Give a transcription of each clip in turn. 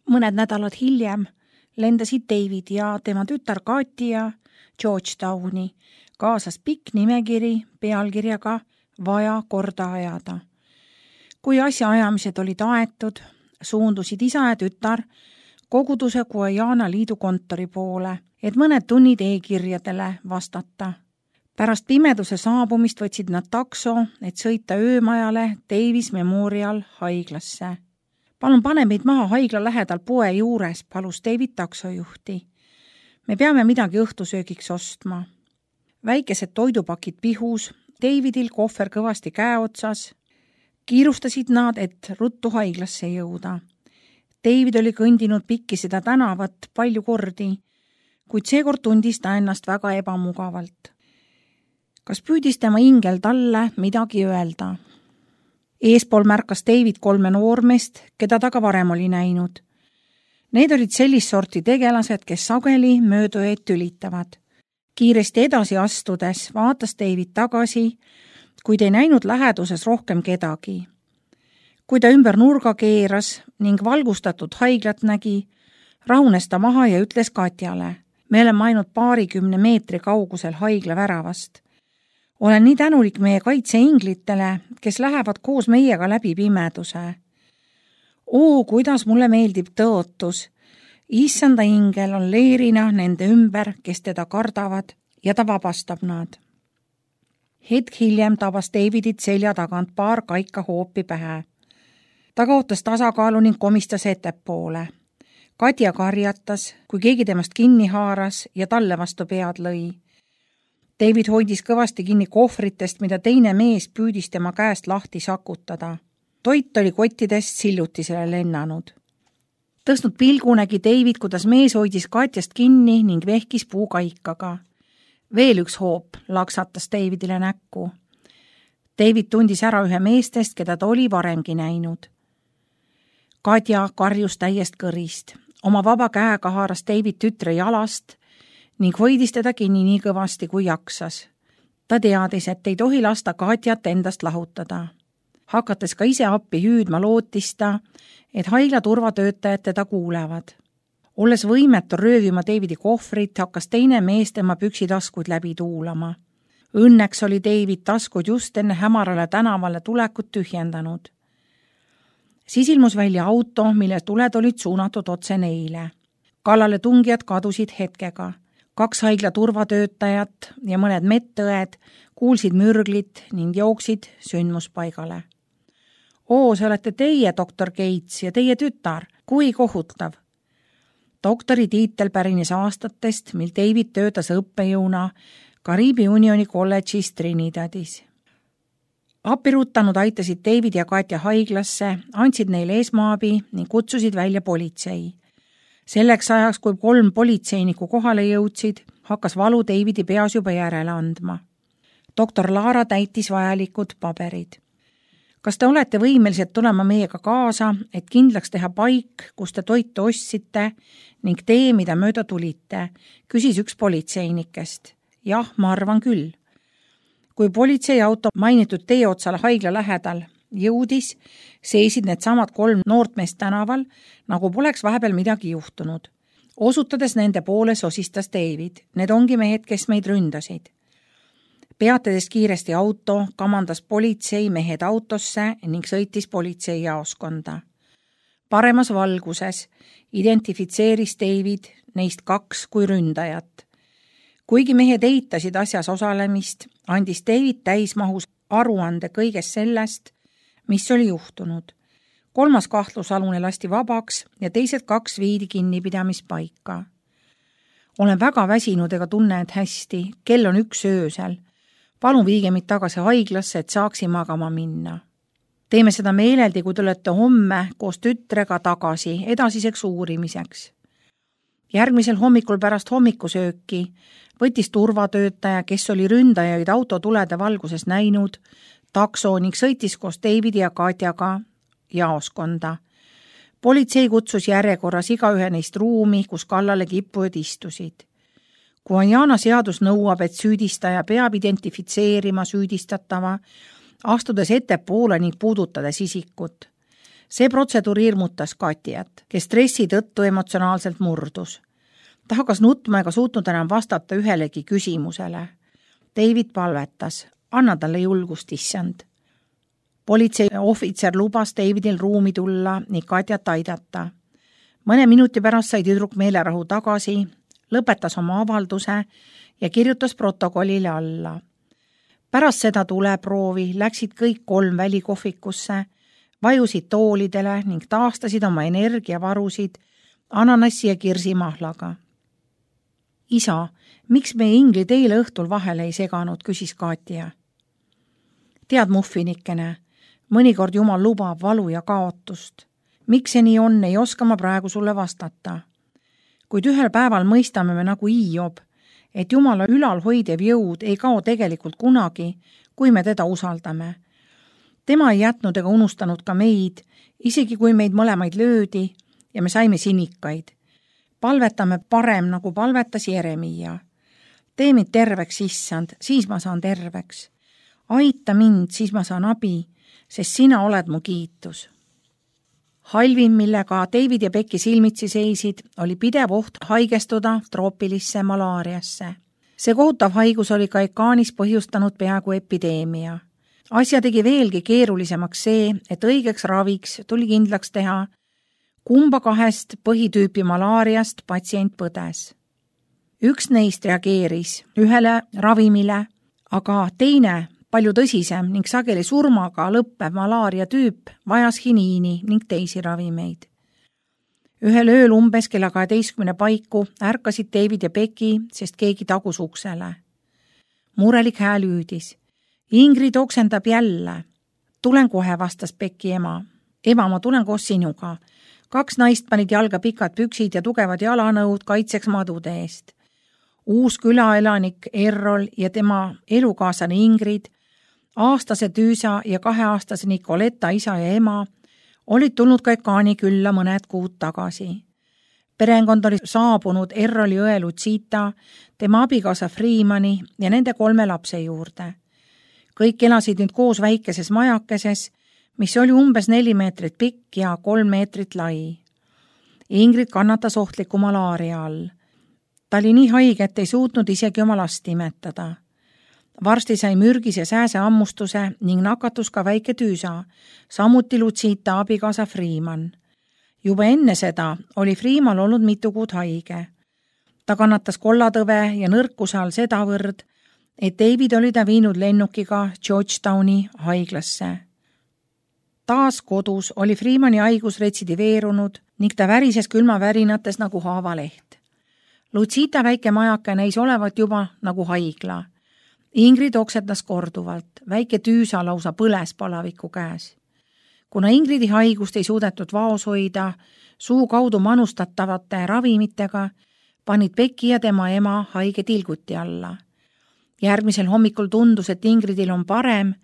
Mõned nädalad hiljem lendasid David ja tema tütar Katja Georgetowni, kaasas pikk nimekiri pealkirjaga "Vaja korda ajada". Kui asjaajamised olid aetud, suundusid isa ja tütar koguduse Guyana liidu kontori poole, et mõned tunnid e-kirjadele vastata. Pärast pimeduse saabumist võtsid nad takso, et sõita öömajale Davis Memorial haiglasse. "Palun pane meid maha haigla lähedal poe juures," palus David taksojuhti. "Me peame midagi õhtusöögiks ostma." Väikesed toidupakid pihus, Davidil kohver kõvasti käe otsas. Kiirustasid nad, et ruttu haiglasse jõuda. David oli kõndinud pikki seda tänavat palju kordi, kuid seekord tundis ta ennast väga ebamugavalt. Kas püüdis tema ingel talle midagi öelda? Eespool märkas David 3 noormeest, keda ta ka varem oli näinud. Need olid sellist sorti tegelased, kes sageli möödujaid tülitavad. Kiiresti edasi astudes vaatas David tagasi, kuid ei näinud läheduses rohkem kedagi. Kui ta ümber nurga keeras ning valgustatud haiglat nägi, rahunes ta maha ja ütles Katjale: "Me oleme ainult 20 meetri kaugusel haigla väravast. Olen nii tänulik meie kaitseinglitele, kes lähevad koos meiega läbi pimeduse. Oo, kuidas mulle meeldib tõotus. Issanda ingel on leerina nende ümber, kes teda kardavad, ja ta vabastab nad." Hetk hiljem tabas Davidit selja tagant paar kaika hoopi pähe. Ta kaotas tasakaalu ning komistas ettepoole. Katja karjatas, kui keegi temast kinni haaras ja talle vastu pead lõi. David hoidis kõvasti kinni kohvritest, mida teine mees püüdis tema käest lahti sakutada. Toit oli kottidest sillutisele lennanud. Tõstnud pilgu nägi David, kuidas mees hoidis Katjast kinni ning vehkis puukaikaga. Veel üks hoop laksatas Davidile näkku. David tundis ära ühe meestest, keda ta oli varemgi näinud. Katja karjus täiest kõrist. Oma vaba käega haaras David tütre jalast ning hoidis teda kinni nii kõvasti kui jaksas. Ta teadis, et ei tohi lasta Katjat endast lahutada. Hakates ka ise appi hüüdma, lootis ta, et haigla turvatöötajad teda kuulevad. Olles võimetu röövima Davidi kohvrit, hakkas teine mees tema püksitaskuid läbi tuulama. Õnneks oli David taskud just enne hämarale tänavale tulekut tühjendanud. Siis ilmus välja auto, mille tuled olid suunatud otse neile. Kallale tungijad kadusid hetkega. 2 haigla turvatöötajat ja mõned medõed kuulsid mürglit ning jooksid sündmuspaigale. "Oo, see olete teie, doktor Gates, ja teie tütar, kui kohutav." Doktori tiitel pärines aastatest, mil David töötas õppejõuna Kariibi Unioni kolledžis Trinidadis. Appirutanud aitasid David ja Katja haiglasse, andsid neile esmaabi ning kutsusid välja politsei. Selleks ajaks, kui 3 politseinikku kohale jõudsid, hakkas valu Davidi peas juba järele andma. Doktor Laara täitis vajalikud paberid. "Kas te olete võimelised tulema meiega kaasa, et kindlaks teha paik, kus te toitu ostsite ning tee, mida mööda tulite?" küsis üks politseinikest. "Jah, ma arvan küll." Kui politseiauto mainitud tee otsale haigla lähedal jõudis, seisid need samad 3 noort meest tänaval, nagu poleks vahepeal midagi juhtunud. Osutades nende poole sosistas David: "Need ongi mehed, kes meid ründasid." Peatades kiiresti auto, kamandas politsei mehed autosse ning sõitis politseijaoskonda. Paremas valguses identifitseeris David neist 2 kui ründajat. Kuigi mehed eitasid asjas osalemist, andis David täismahus aruande kõigest sellest, mis oli juhtunud. 3. kahtlusalune lasti vabaks ja teised 2 viidi kinnipidamispaika. "Olen väga väsinud ega tunne end hästi, kell on 1 öösel. Palun viige mind tagasi haiglasse, et saaksin magama minna. Teeme seda meeleldi, kui te olete homme koos tütrega tagasi edasiseks uurimiseks." Järgmisel hommikul pärast hommikusööki võttis turvatöötaja, kes oli ründajaid autotulede valguses näinud, takso ning sõitis koos Davidi ja Katjaga jaoskonda. Politsei kutsus järjekorras igaühe neist ruumi, kus kallale kippujad istusid. Guyana seadus nõuab, et süüdistaja peab identifitseerima süüdistatava, astudes ettepoole ning puudutades isikut. See protseduur hirmutas Katiat, kes stressi tõttu emotsionaalselt murdus. Ta hakkas nutma ega suutnud enam vastata ühelegi küsimusele. David palvetas, anna talle julgust, issand. Politsei ohvitser lubas Davidil ruumi tulla ning Katjat aidata. Mõne minuti pärast sai tüdruk meelerahu tagasi, lõpetas oma avalduse ja kirjutas protokollile alla. Pärast seda tuleproovi läksid kõik 3 välikohvikusse, vajusid toolidele ning taastasid oma energiavarusid ananassi ja kirsimahlaga. Isa, miks meie Ingrid eile õhtul vahele ei seganud, küsis Katja. Tead, muffinikene, mõnikord Jumal lubab valu ja kaotust. Miks see nii on, ei oska ma praegu sulle vastata. Kuid ühel päeval mõistame me nagu Hiob, et Jumala ülalhoidev jõud ei kao tegelikult kunagi, kui me teda usaldame. Tema ei jätnud ega unustanud ka meid, isegi kui meid mõlemaid löödi ja me saime sinikaid. Palvetame parem, nagu palvetas Jeremia. Tee mind terveks, issand, siis ma saan terveks. Aita mind, siis ma saan abi, sest sina oled mu kiitus. Halvim, millega David ja Becky silmitsi seisid, oli pidev oht haigestuda troopilisse malaariasse. See kohutav haigus oli Kaikaanis põhjustanud peaaegu epideemia. Asja tegi veelgi keerulisemaks see, et õigeks raviks tuli kindlaks teha, kumba 2 põhitüüpi malaariast patsient põdes. Üks neist reageeris ühele ravimile, aga teine, palju tõsisem ning sageli surmaga lõppev malaaria tüüp vajas hiniini ning teisi ravimeid. Ühel ööl umbes kella 12 paiku ärkasid David ja Becky, sest keegi tagus uksele. Murelik hääl hüüdis. Ingrid oksendab jälle. Tulen kohe, vastas Becky ema. Ema, ma tulen koos sinuga. 2 naist panid jalga pikad püksid ja tugevad jalanõud kaitseks madude eest. Uus külaelanik Errol ja tema elukaaslane Ingrid, aastase Tüüsa ja 2-aastase Nicoletta isa ja ema olid tulnud Kaikaani külla mõned kuud tagasi. Perekond oli saabunud Erroli õe Lucita, tema abikaasa Freemani ja nende 3 lapse juurde. Kõik elasid nüüd koos väikeses majakeses, mis oli umbes 4 meetrit pikk ja 3 meetrit lai. Ingrid kannatas ohtliku malaaria all. Ta oli nii haige, et ei suutnud isegi oma last imetada. Varsti sai mürgise sääse ammustuse ning nakatus ka väike Tüüsa, samuti Lucita abikaasa Freeman. Juba enne seda oli Freeman olnud mitu kuud haige. Ta kannatas kollatõve ja nõrkuse all sedavõrd, et David oli ta viinud lennukiga Georgetowni haiglasse. Taas kodus oli Freemani haigus retsidiveerunud ning ta värises külmavärinates nagu haavaleht. Lucita väike majake näis olevat juba nagu haigla. Ingrid oksendas korduvalt, väike Tüüsa lausa põles palaviku käes. Kuna Ingridi haigust ei suudetud vaos hoida, suu kaudu manustatavate ravimitega, panid Becky ja tema ema haige tilguti alla. Järgmisel hommikul tundus, et Ingridil on parem,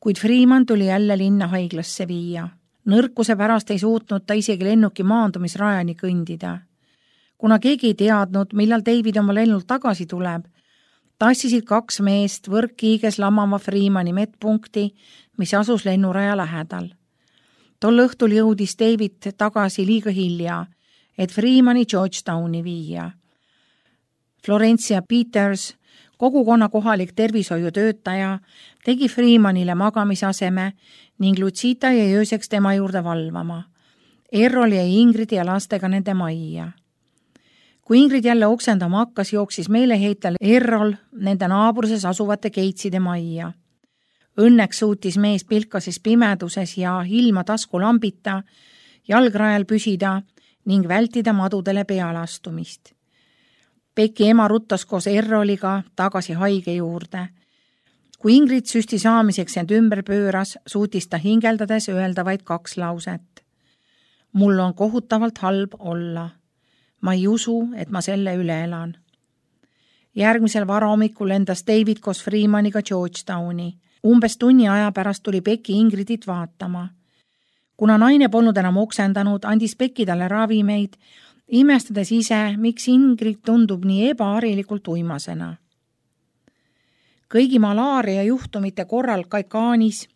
kuid Freeman tuli jälle linna haiglasse viia. Nõrkuse pärast ei suutnud ta isegi lennuki maandumisrajani kõndida. Kuna keegi ei teadnud, millal David oma lennult tagasi tuleb, tassisid 2 meest võrkkiiges lamama Freemani medpunkti, mis asus lennuraja lähedal. Tol õhtul jõudis David tagasi liiga hilja, et Freemani Georgetowni viia. Florencia Peters, kogukonna kohalik tervishoiutöötaja, tegi Freemanile magamisaseme ning Lucita jäi ööseks tema juurde valvama. Errol jäi Ingridi ja lastega nende majja. Kui Ingrid jälle oksendama hakkas, jooksis meeleheitel Errol nende naabruses asuvate Keitside majja. Õnneks suutis mees pilkases pimeduses ja ilma taskulambita jalgrajal püsida ning vältida madudele pealastumist. Becky ema ruttas koos Erroliga tagasi haige juurde. Kui Ingrid süsti saamiseks end ümber pööras, suutis ta hingeldades öelda vaid 2 lauset. Mul on kohutavalt halb olla. Ma ei usu, et ma selle üle elan. Järgmisel varahommikul lendas David koos Freemaniga Georgetowni. Umbes tunni aja pärast tuli Becky Ingridit vaatama. Kuna naine polnud enam oksendanud, andis Becky talle ravimeid, imestades ise, miks Ingrid tundub nii ebaharilikult uimasena. Kõigi malaaria juhtumite korral Kaikaanis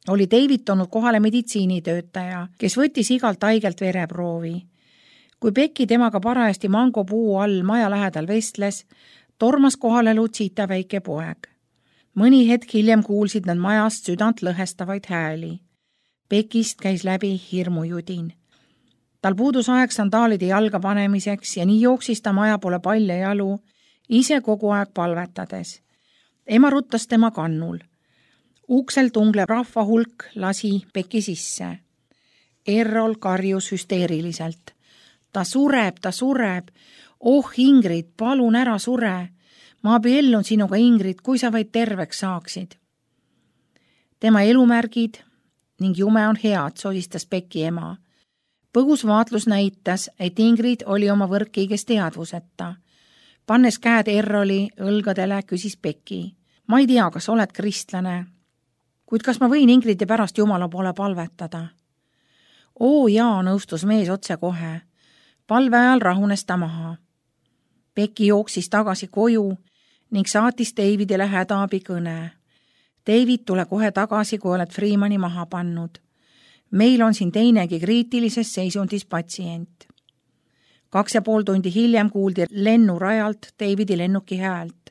oli David toonud kohale meditsiinitöötaja, kes võttis igalt haigelt vereproovi. Kui Becky temaga parajasti mangopuu all maja lähedal vestles, tormas kohale Lucita väike poeg. Mõni hetk hiljem kuulsid nad majast südant lõhestavaid hääli. Beckist käis läbi hirmujudin. Tal puudus aeg sandaalide jalga panemiseks ja nii jooksis ta maja poole palja jalu, ise kogu aeg palvetades. Ema ruttas tema kannul. Uksel tunglev rahvahulk lasi Becky sisse. Errol karjus hüsteeriliselt. Ta sureb. Oh, Ingrid, palun ära sure. Ma abiellun sinuga, Ingrid, kui sa vaid terveks saaksid. Tema elumärgid ning jume on head, sosistas Becky ema. Põgus vaatlus näitas, et Ingrid oli oma võrkkiigest teadvuseta. Pannes käed Erroli õlgadele, küsis Becky. Ma ei tea, kas oled kristlane, kuid kas ma võin Ingridi pärast Jumala poole palvetada? Oo jaa, nõustus mees otse kohe. Palve ajal rahunes ta maha. Becky jooksis tagasi koju ning saatis Davidile hädaabi kõne. David, tule kohe tagasi, kui oled Freemani maha pannud. Meil on siin teinegi kriitilises seisundis patsient. 2,5 tundi hiljem kuuldi lennurajalt Davidi lennuki häält.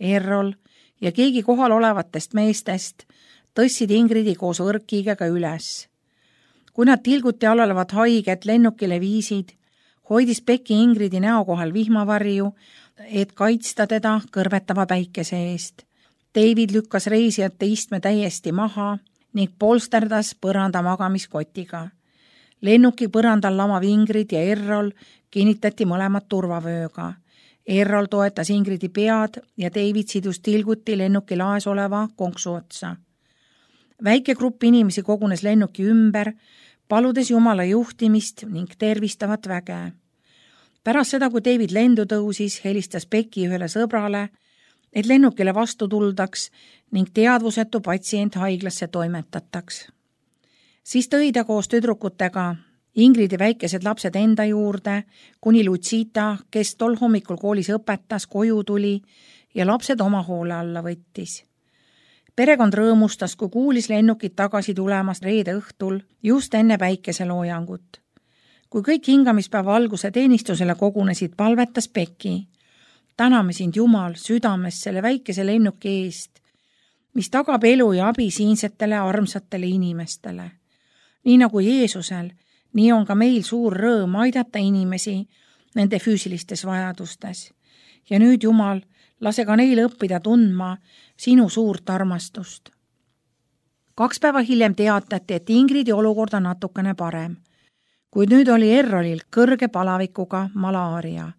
Errol ja keegi kohal olevatest meestest tõssid Ingridi koos võrkkiigega üles. Kui nad tilguti all olevat haiget lennukile viisid, hoidis Becky Ingridi näo kohal vihmavarju, et kaitsta teda kõrvetava päikese eest. David lükkas reisijate istme täiesti maha ning polsterdas põranda magamiskotiga. Lennuki põrandal lamav Ingrid ja Errol kinnitati mõlemad turvavööga. Errol toetas Ingridi pead ja David sidus tilguti lennuki laes oleva konksu otsa. Väike grupp inimesi kogunes lennuki ümber, paludes Jumala juhtimist ning tervistavat väge. Pärast seda, kui David lendu tõusis, helistas Becky ühele sõbrale, et lennukile vastu tuldaks ning teadvusetu patsient haiglasse toimetataks. Siis tõi ta koos tüdrukutega Ingridi väikesed lapsed enda juurde, kuni Lucita, kes tol hommikul koolis õpetas, koju tuli ja lapsed oma hoole alla võttis. Perekond rõõmustas, kui kuulis lennukit tagasi tulemas reede õhtul just enne päikeseloojangut. Kui kõik hingamispäeva alguse teenistusele kogunesid, palvetas Becky. Täname sind, Jumal, südames selle väikese lennuki eest, mis tagab elu ja abi siinsetele armsatele inimestele. Nii nagu Jeesusel, nii on ka meil suur rõõm aidata inimesi nende füüsilistes vajadustes. Ja nüüd, Jumal, lase ka neil õppida tundma sinu suurt armastust. 2 päeva hiljem teatati, et Ingridi olukord on natukene parem, kuid nüüd oli Errolil kõrge palavikuga malaaria.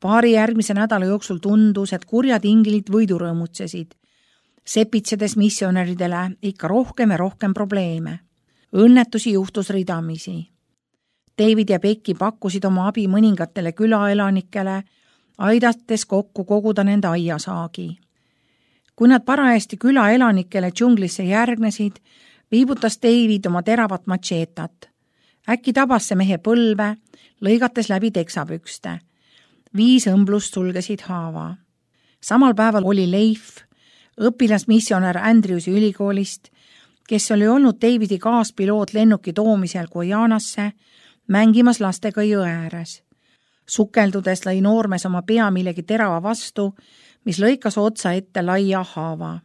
Paari järgmise nädala jooksul tundus, et kurjad inglid võidurõõmutsesid, sepitsedes missionäridele ikka rohkem ja rohkem probleeme. Õnnetusi juhtus ridamisi. David ja Becky pakkusid oma abi mõningatele külaelanikele, aidates kokku koguda nende aiasaagi. Kui nad parajasti külaelanikele džunglisse järgnesid, viibutas David oma teravat matšeetat. Äkki tabas see mehe põlve, lõigates läbi teksapükste. 5 õmblust sulgesid haava. Samal päeval oli Leif, õpilasmissionär Andrewsi ülikoolist, kes oli olnud Davidi kaaspiloot lennuki toomisel Guyanasse, mängimas lastega jõe ääres. Sukeldudes lõi noormes oma pea millegi terava vastu, mis lõikas otsa ette laia haava.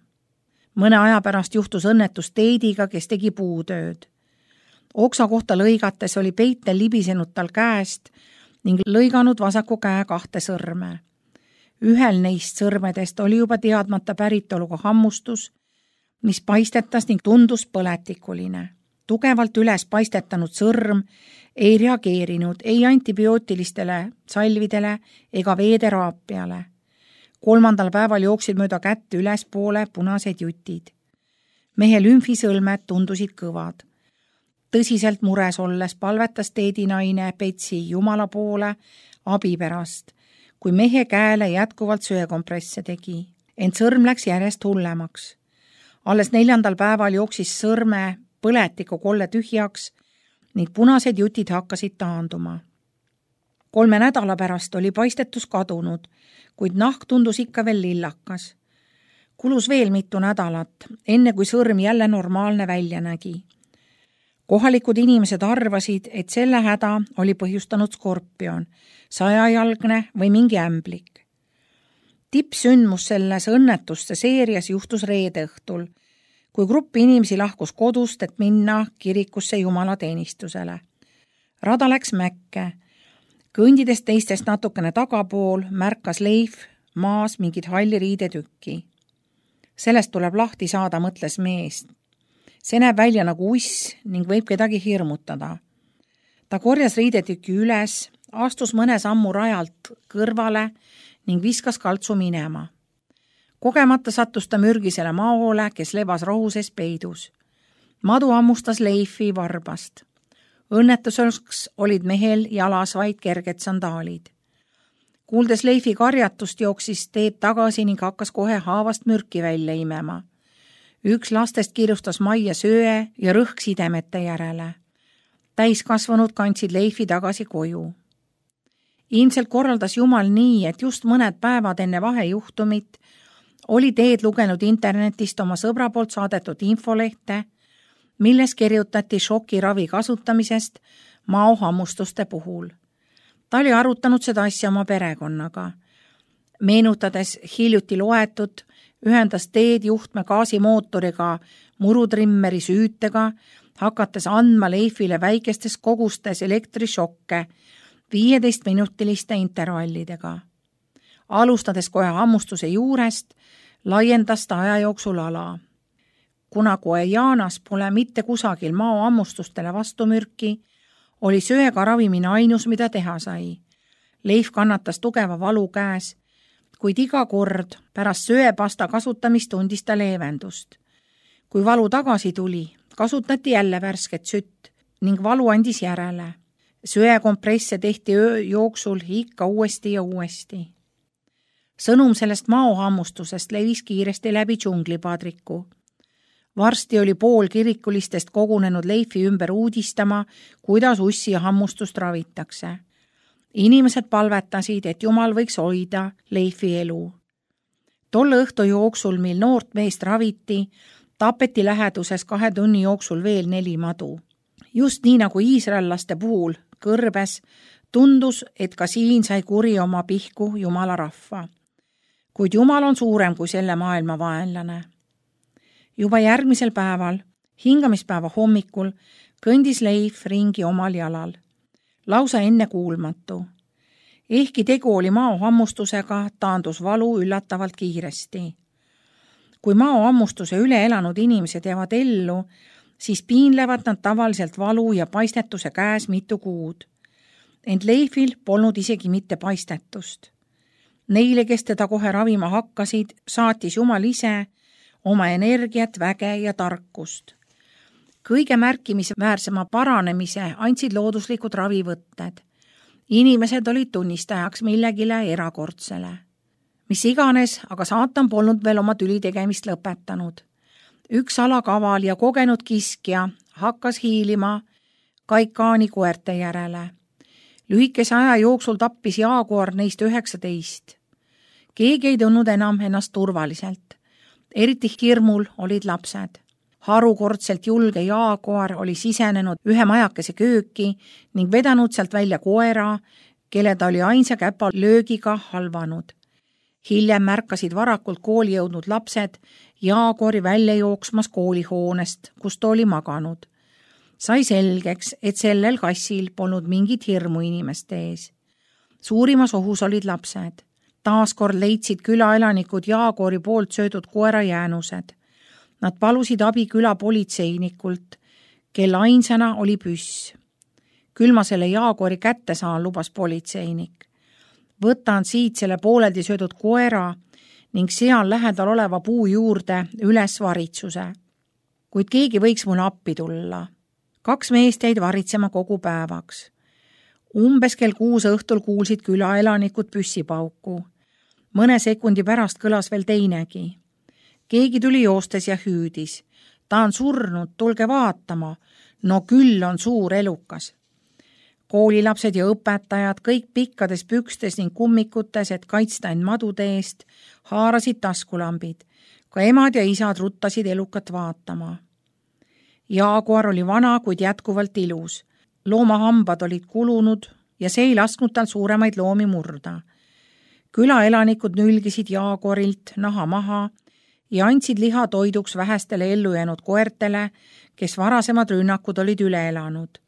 Mõne aja pärast juhtus õnnetus Teidiga, kes tegi puutööd. Oksa kohta lõigates oli peitel libisenud tal käest ning lõiganud vasaku käe 2 sõrme. Ühel neist sõrmedest oli juba teadmata päritoluga hammustus, mis paistetas ning tundus põletikuline. Tugevalt üles paistetanud sõrm ei reageerinud ei antibiootilistele salvidele ega veeteraapiale. 3. päeval jooksid mööda kätt ülespoole punased jutid. Mehe lümfisõlmed tundusid kõvad. Tõsiselt mures olles palvetas teedinaine Betsy Jumala poole abi pärast, kui mehe käele jätkuvalt söekompresse tegi. Ent sõrm läks järjest hullemaks. Alles 4. päeval jooksis sõrme põletiku kolle tühjaks ning punased jutid hakkasid taanduma. 3 nädala pärast oli paistetus kadunud, kuid nahk tundus ikka veel lillakas. Kulus veel mitu nädalat, enne kui sõrm jälle normaalne välja nägi. Kohalikud inimesed arvasid, et selle häda oli põhjustanud skorpion, 100-jalgne või mingi ämblik. Tippsündmus selles õnnetuste seerias juhtus reede õhtul, kui grupp inimesi lahkus kodust, et minna kirikusse jumalateenistusele. Rada läks mäkke. Kõndides teistest natukene tagapool märkas Leif maas mingit halli riidetükki. Sellest tuleb lahti saada, mõtles mees. See näeb välja nagu uss ning võib kedagi hirmutada. Ta korjas riidetüki üles, astus mõne sammu rajalt kõrvale ning viskas kaltsu minema. Kogemata sattus ta mürgisele maole, kes lebas rohu sees peidus. Madu hammustas Leifi varbast. Õnnetuseks olid mehel jalas vaid kerged sandaalid. Kuuldes Leifi karjatust, jooksis teed tagasi ning hakkas kohe haavast mürki välja imema. Üks lastest kiirustas majja söe ja rõhk sidemete järele. Täiskasvanud kandsid Leifi tagasi koju. Ilmselt korraldas Jumal nii, et just mõned päevad enne vahejuhtumit oli Teed lugenud internetist oma sõbra poolt saadetud infolehte, milles kirjutati šokiravi kasutamisest maohammustuste puhul. Ta oli arutanud seda asja oma perekonnaga. Meenutades hiljuti loetud, ühendas Teed juhtme gaasimootoriga murutrimmeri süütega, hakates andma Leifile väikestes kogustes elektrišokke 15-minutiliste intervallidega. Alustades kohe hammustuse juurest, laiendas ta aja jooksul ala. Kuna Guajanas pole mitte kusagil maohammustustele vastumürki, oli söega ravimine ainus, mida teha sai. Leif kannatas tugeva valu käes, kuid iga kord pärast söepasta kasutamist tundis ta leevendust. Kui valu tagasi tuli, kasutati jälle värsket sütt ning valu andis järele. Söekompresse tehti öö jooksul ikka uuesti ja uuesti. Sõnum sellest maohammustusest levis kiiresti läbi džunglipadriku. Varsti oli pool kirikulistest kogunenud Leifi ümber uudistama, kuidas ussi ja hammustust ravitakse. Inimesed palvetasid, et Jumal võiks hoida Leifi elu. Tolle õhtu jooksul, mil noort meest raviti, tapeti läheduses 2 tunni jooksul veel 4 madu. Just nii nagu iisraellaste puhul kõrbes, tundus, et ka siin sai kuri oma pihku Jumala rahva. Kuid Jumal on suurem kui selle maailma vaenlane. Juba järgmisel päeval, hingamispäeva hommikul, kõndis Leif ringi omal jalal. Lausa ennekuulmatu. Ehkki tegu oli maohammustusega, taandus valu üllatavalt kiiresti. Kui maohammustuse üle elanud inimesed jäävad ellu, siis piinlevad nad tavaliselt valu ja paistetuse käes mitu kuud. Ent Leifil polnud isegi mitte paistetust. Neile, kes teda kohe ravima hakkasid, saatis Jumal ise oma energiat, väge ja tarkust. Kõige märkimisväärsema paranemise andsid looduslikud ravivõtted. Inimesed olid tunnistajaks millegile erakordsele. Mis iganes, aga saatan polnud veel oma tüli tegemist lõpetanud. Üks alakaval ja kogenud kiskja hakkas hiilima Kaikaani koerte järele. Lühikese aja jooksul tappis jaaguar neist 19. Keegi ei tundnud enam ennast turvaliselt. Eriti hirmul olid lapsed. Harukordselt julge jaaguar oli sisenenud ühe majakese kööki ning vedanud sealt välja koera, kelle ta oli ainsa käpa löögiga halvanud. Hiljem märkasid varakult kooli jõudnud lapsed jaaguari välja jooksmas koolihoonest, kus ta oli maganud. Sai selgeks, et sellel kassil polnud mingit hirmu inimeste ees. Suurimas ohus olid lapsed. Taaskord leidsid külaelanikud jaaguari poolt söödud koera jäänused. Nad palusid abi küla politseinikult, kelle ainsana oli püss. Küll ma selle jaaguari kätte saan, lubas politseinik. Võtan siit selle pooleldi söödud koera ning seal lähedal oleva puu juurde üles varitsuse. Kuid keegi võiks mulle appi tulla. 2 meest jäid varitsema kogu päevaks. Umbes kell 6 õhtul kuulsid külaelanikud püssipauku. Mõne sekundi pärast kõlas veel teinegi. Keegi tuli joostes ja hüüdis. Ta on surnud, tulge vaatama. No küll on suur elukas. Koolilapsed ja õpetajad, kõik pikkades pükstes ning kummikutes, et kaitsta end madude eest, haarasid taskulambid. Ka emad ja isad ruttasid elukat vaatama. Jaaguar oli vana, kuid jätkuvalt ilus. Loomahambad olid kulunud ja see ei lasknud tal suuremaid loomi murda. Külaelanikud nülgisid jaaguarilt naha maha ja andsid liha toiduks vähestele ellu jäänud koertele, kes varasemad rünnakud olid üle elanud.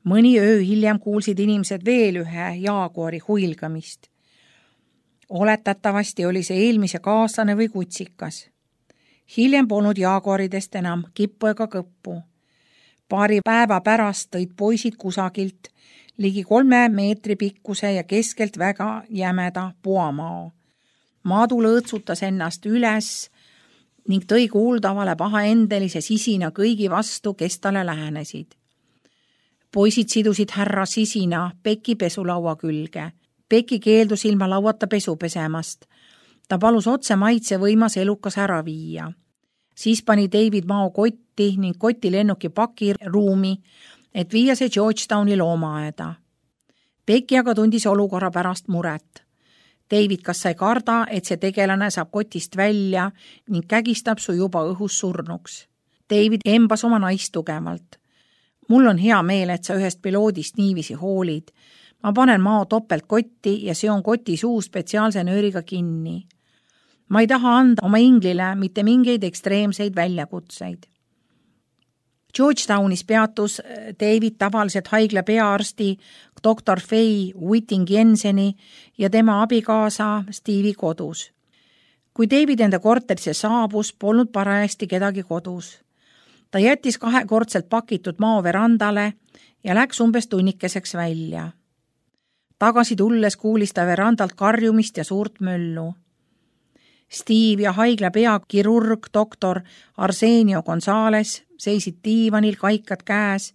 Mõni öö hiljem kuulsid inimesed veel ühe jaaguari huilgamist. Oletatavasti oli see eelmise kaaslane või kutsikas. Hiljem polnud jaaguaridest enam kippu ega kõppu. Paari päeva pärast tõid poisid kusagilt ligi 3 meetri pikkuse ja keskelt väga jämeda puamao. Maadu lõõtsutas ennast üles ning tõi kuuldavale pahaendelise sisina kõigi vastu, kes talle lähenesid. Poisid sidusid härra sisina Peki pesulaua külge. Peki keeldus ilma lauata pesu pesemast. Ta palus otse maitse võimas elukas ära viia. Siis pani David mao kotti ning koti lennuki pakiruumi, et viia see Georgetowni loomaaeda. Peki aga tundis olukorra pärast muret. David kas sai karda, et see tegelane saab kotist välja ning kägistab su juba õhus surnuks. David embas oma naist tugevalt. Mul on hea meel, et sa ühest piloodist niiviisi hoolid. Ma panen mao topelt kotti ja seon koti suu spetsiaalse nööriga kinni. Ma ei taha anda oma inglile mitte mingeid ekstreemseid väljakutseid. Georgetownis peatus David tavaliselt haigla peaarsti Dr. Faye Whitting-Jenseni ja tema abikaasa Steve'i kodus. Kui David enda korterisse saabus, polnud parajasti kedagi kodus. Ta jättis 2-kordselt pakitud mao verandale ja läks umbes tunnikeseks välja. Tagasi tulles kuulis ta verandalt karjumist ja suurt möllu. Steve ja haigla peakirurg doktor Arsenio Gonzales seisid diivanil kaikad käes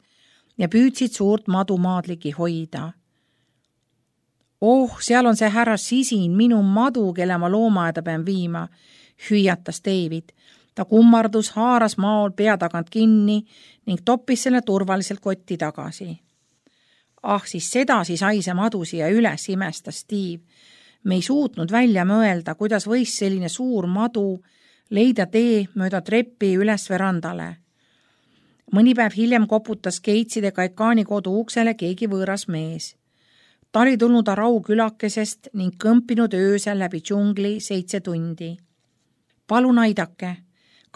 ja püüdsid suurt madumaadligi hoida. Oh, seal on see härra Sisin, minu madu, kelle ma loomaaeda pean viima, hüüatas David. Ta kummardus, haaras maol pea tagant kinni ning toppis selle turvaliselt kotti tagasi. Siis sedasi sai see madu siia üles, imestas Steve. Me ei suutnud välja mõelda, kuidas võis selline suur madu leida tee mööda treppi üles verandale. Mõni päev hiljem koputas Gateside Kaikaani kodu uksele keegi võõras mees. Ta oli tulnud Arau külakesest ning kõmpinud öösel läbi džungli 7 tundi. Palun aidake.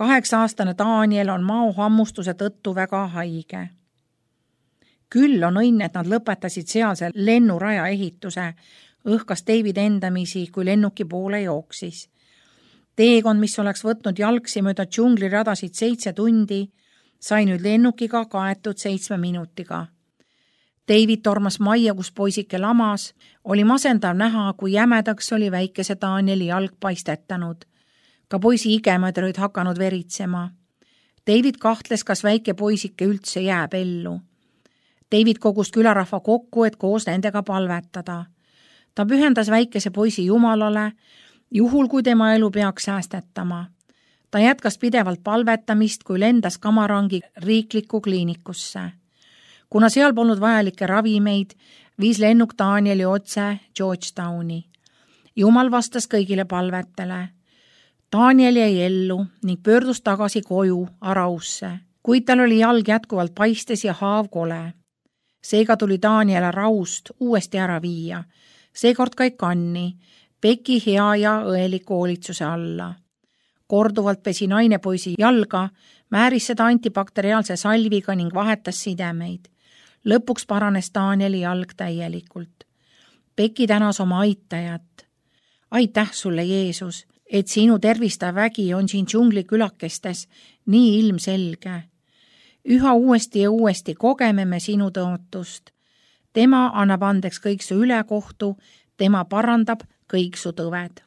8-aastane Daniel on mao hammustuse tõttu väga haige. Küll on õnn, et nad lõpetasid sealse lennuraja ehituse, õhkas David endamisi, kui lennuki poole jooksis. Teekond, mis oleks võtnud jalgsi mööda džungliradasid 7 tundi, sai nüüd lennukiga kaetud 7 minutiga. David tormas majja, kus poisike lamas, oli masendav näha, kui jämedaks oli väikese Danieli jalg paistetanud. Ka poisi igemad olid hakanud veritsema. David kahtles, kas väike poisike üldse jääb ellu. David kogus külarahva kokku, et koos nendega palvetada. Ta pühendas väikese poisi Jumalale, juhul kui tema elu peaks säästetama. Ta jätkas pidevalt palvetamist, kui lendas Kamarangi riiklikku kliinikusse. Kuna seal polnud vajalikke ravimeid, viis lennuk Danieli otse Georgetowni. Jumal vastas kõigile palvetele. Daniel jäi ellu ning pöördus tagasi koju Arausse, kuid tal oli jalg jätkuvalt paistes ja haav kole. Seega tuli Daniel Araust uuesti ära viia, seekord Kaikanni, Peki hea ja õeliku hoolitsuse alla. Korduvalt pesi naine poisi jalga, määris seda antibakteriaalse salviga ning vahetas sidemeid. Lõpuks paranes Danieli jalg täielikult. Peki tänas oma aitajat. Aitäh sulle, Jeesus, et sinu tervistav vägi on siin džungli külakestes nii ilmselge. Üha uuesti ja uuesti kogeme me sinu tõotust. Tema annab andeks kõik su ülekohtu, tema parandab kõik su tõved.